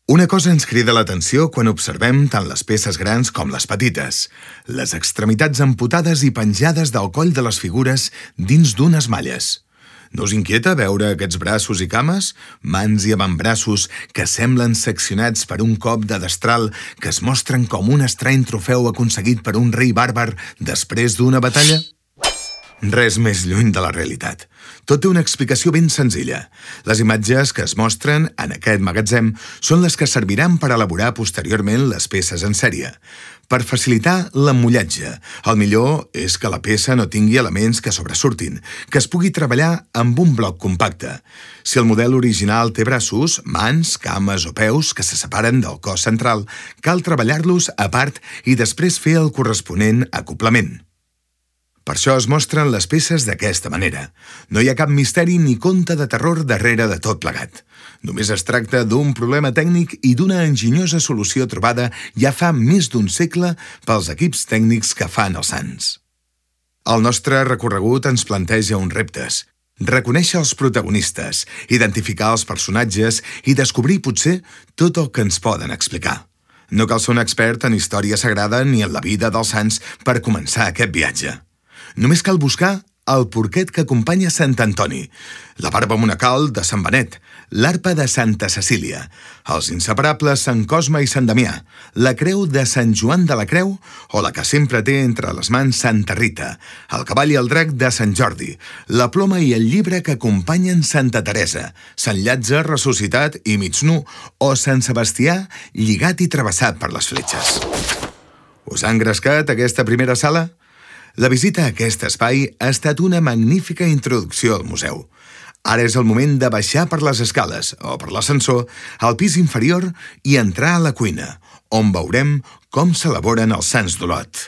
Una cosa ens crida l'atenció quan observem tant les peces grans com les petites. Les extremitats amputades i penjades del coll de les figures dins d'unes malles. No us inquieta veure aquests braços i cames? Mans i avantbraços que semblen seccionats per un cop de destral que es mostren com un estrany trofeu aconseguit per un rei bàrbar després d'una batalla? Res més lluny de la realitat. Tot té una explicació ben senzilla. Les imatges que es mostren en aquest magatzem són les que serviran per elaborar posteriorment les peces en sèrie. Per facilitar l'emmollatge, el millor és que la peça no tingui elements que sobresurtin, que es pugui treballar amb un bloc compacte. Si el model original té braços, mans, cames o peus que se separen del cos central, cal treballar-los a part i després fer el corresponent acoblament. Per això es mostren les peces d'aquesta manera. No hi ha cap misteri ni conte de terror darrere de tot plegat. Només es tracta d'un problema tècnic i d'una enginyosa solució trobada ja fa més d'un segle pels equips tècnics que fan els sants. El nostre recorregut ens planteja uns reptes. Reconèixer els protagonistes, identificar els personatges i descobrir, potser, tot el que ens poden explicar. No cal ser un expert en història sagrada ni en la vida dels sants per començar aquest viatge. Només cal buscar el porquet que acompanya Sant Antoni, la barba monacal de Sant Benet, l'arpa de Santa Cecília, els inseparables Sant Cosme i Sant Damià, la creu de Sant Joan de la Creu o la que sempre té entre les mans Santa Rita, el cavall i el drac de Sant Jordi, la ploma i el llibre que acompanyen Santa Teresa, Sant Llàtzer ressuscitat i mig nu o Sant Sebastià lligat i travessat per les fletxes. Us ha engrescat aquesta primera sala? La visita a aquest espai ha estat una magnífica introducció al museu. Ara és el moment de baixar per les escales o per l'ascensor al pis inferior i entrar a la cuina, on veurem com s'elaboren els sants d'Olot.